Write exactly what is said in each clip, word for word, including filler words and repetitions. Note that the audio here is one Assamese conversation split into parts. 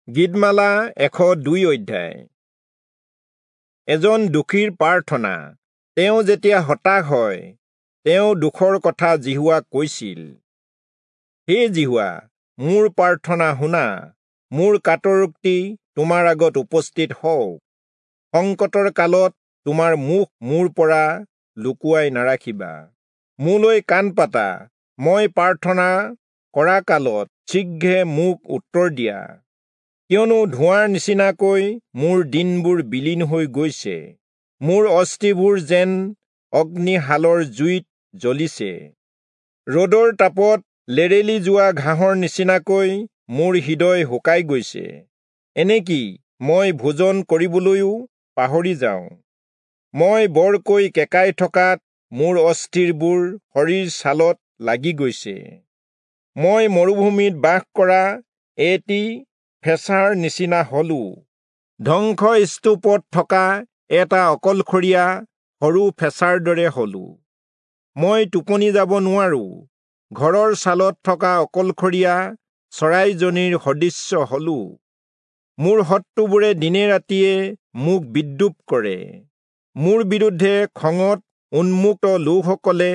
গীতমালা এশ দুই অধ্যায়। এজন দুখীৰ প্ৰাৰ্থনা। তেওঁ যেতিয়া হতাশ হয়, তেওঁ দুখৰ কথা যিহোৱাক কৈছিল। হে যিহোৱা, মোৰ প্ৰাৰ্থনা শুনা, মোৰ কাতৰোক্তি তোমাৰ আগত উপস্থিত হওক। সংকটৰ কালত তোমাৰ মুখ মোৰ পৰা লুকুৱাই নাৰাখিবা। মোলৈ কাণ পাতা, মই প্ৰাৰ্থনা কৰা কালত শীঘ্ৰে মোক উত্তৰ দিয়া। কিয়নো ধোঁৱাৰ নিচিনাকৈ মোৰ দিনবোৰ বিলীন হৈ গৈছে, মোৰ অস্থিবোৰ যেন অগ্নিশালৰ জুইত জ্বলিছে। ৰ'দৰ তাপত লেৰেলি যোৱা ঘাঁহৰ নিচিনাকৈ মোৰ হৃদয় শুকাই গৈছে, এনেকি মই ভোজন কৰিবলৈও পাহৰি যাওঁ। মই বৰকৈ কেঁকাই থকাত মোৰ অস্থিৰবোৰ শৰীৰ ছালত লাগি গৈছে। মই মৰুভূমিত বাস কৰা এটি ফেঁচাৰ নিচিনা হলো, ধ্বংসস্তূপত থকা এটা অকলশৰীয়া সৰু ফেঁচাৰ দৰে হলো। মই টোপনি যাব নোৱাৰো, ঘৰৰ ছালত থকা অকলশৰীয়া চৰাইজনীৰ সদৃশ্য হলো। মোৰ শত্ৰুবোৰে দিনে ৰাতিয়ে মোক বিদ্ৰূপ কৰে, মোৰ বিৰুদ্ধে খঙত উন্মুক্ত লোকসকলে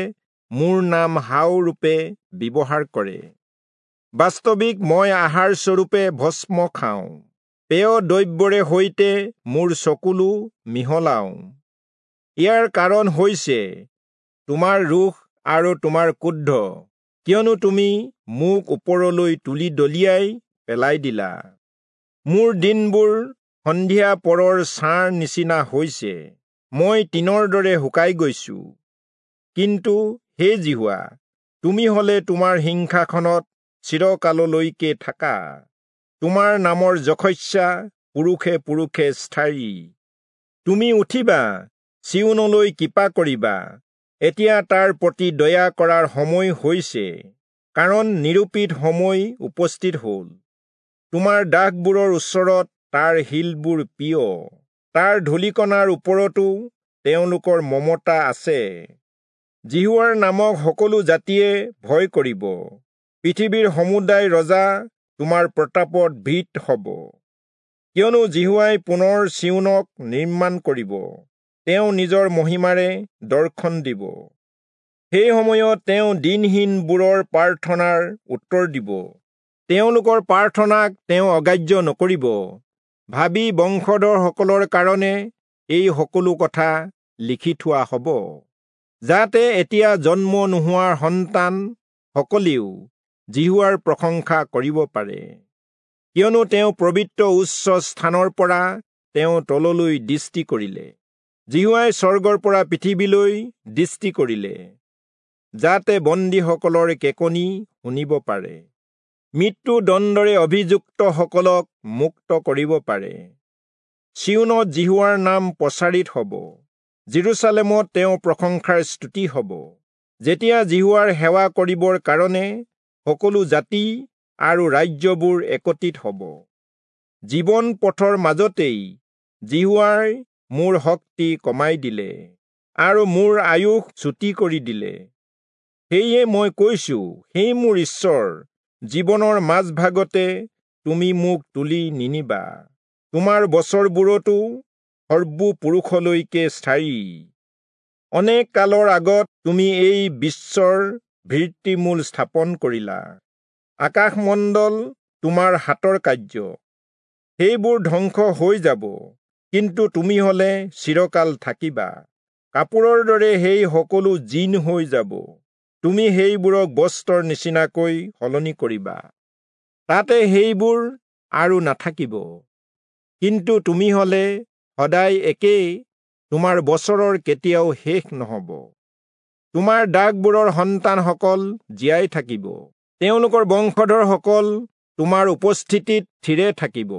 মোৰ নাম হাও ৰূপে ব্যৱহাৰ কৰে। বাস্তৱিক মই আহাৰ স্বৰূপে ভস্ম খাওঁ, পেয় দ্ৰব্যৰে সৈতে মোৰ চকুলো মিহলাওঁ। ইয়াৰ কাৰণ হৈছে তোমাৰ ৰোষ আৰু তোমাৰ ক্ৰোধ, কিয়নো তুমি মোক ওপৰলৈ তুলি দলিয়াই পেলাই দিলা। মোৰ দিনবোৰ সন্ধিয়া পৰৰ ছাঁৰ নিচিনা হৈছে, মই তৃণৰ দৰে শুকাই গৈছো। কিন্তু হে যিহোৱা, তুমি হলে তোমাৰ সিংহাসনত চিৰকাললৈকে থাকা, তোমাৰ নামৰ যশস্যা পুৰুষে পুৰুষে স্থায়ী। তুমি উঠিবা, চিয়োনলৈ কৃপা কৰিবা, এতিয়া তাৰ প্ৰতি দয়া কৰাৰ সময় হৈছে, কাৰণ নিৰূপিত সময় উপস্থিত হ'ল। তোমাৰ দাসবোৰৰ ওচৰত তাৰ শিলবোৰ প্ৰিয়, তাৰ ধূলিকণাৰ ওপৰতো তেওঁলোকৰ মমতা আছে। যিহোৱাৰ নামক সকলো জাতিয়ে ভয় কৰিব, পৃথিৱীৰ সমুদায় ৰজা তোমাৰ প্ৰতাপত ভীত হ'ব। কিয়নো যিহোৱাই পুনৰ চিয়োনক নিৰ্মাণ কৰিব, তেওঁ নিজৰ মহিমাৰে দৰ্শন দিব। সেই সময়ত তেওঁ দীনহীনবোৰৰ প্ৰাৰ্থনাৰ উত্তৰ দিব, তেওঁলোকৰ প্ৰাৰ্থনাক তেওঁ অগ্ৰাহ্য নকৰিব। ভাবি বংশধৰসকলৰ কাৰণে এই সকলো কথা লিখি থোৱা হ'ব, যাতে এতিয়া জন্ম নোহোৱাৰ সন্তান সকলেও যিহোৱাৰ প্ৰশংসা কৰিব পাৰে। কিয়নো তেওঁ পবিত্ৰ উচ্চ স্থানৰ পৰা তেওঁ তললৈ দৃষ্টি কৰিলে, যিহোৱাই স্বৰ্গৰ পৰা পৃথিৱীলৈ দৃষ্টি কৰিলে, যাতে বন্দীসকলৰ কেঁকনি শুনিব পাৰে, মৃত্যুদণ্ডৰে অভিযুক্তসকলক মুক্ত কৰিব পাৰে। চিয়োনত যিহোৱাৰ নাম প্ৰচাৰিত হ'ব, যিৰূচালেমত তেওঁ প্ৰশংসাৰ স্তুতি হ'ব, যেতিয়া যিহোৱাৰ সেৱা কৰিবৰ কাৰণে সকলো জাতি আৰু ৰাজ্যবোৰ একত্ৰিত হ'ব। জীৱন পথৰ মাজতেই যিহোৱাই মোৰ শক্তি কমাই দিলে আৰু মোৰ আয়ুস চুটি কৰি দিলে। সেয়ে মই কৈছো, হে মোৰ ঈশ্বৰ, জীৱনৰ মাজভাগতে তুমি মোক তুলি নিনিবা, তোমাৰ বছৰবোৰতো সৰ্বপুৰুষলৈকে স্থায়ী। অনেক কালৰ আগত তুমি এই বিশ্বৰ ভিত্তিমূল স্থাপন কৰিলা, আকাশমণ্ডল তোমাৰ হাতৰ কাৰ্য। সেইবোৰ ধ্বংস হৈ যাব, কিন্তু তুমি হলে চিৰকাল থাকিবা। কাপোৰৰ দৰে সেই সকলো জীণ হৈ যাব, তুমি সেইবোৰক বস্ত্ৰৰ নিচিনাকৈ সলনি কৰিবা, তাতে সেইবোৰ আৰু নাথাকিব। কিন্তু তুমি হলে সদায় একেই, তোমাৰ বছৰৰ কেতিয়াও শেষ নহ'ব। তোমাৰ দাসবোৰৰ সন্তানসকল জীয়াই থাকিব, তেওঁলোকৰ বংশধৰসকল তোমাৰ উপস্থিতিত থিৰে থাকিব।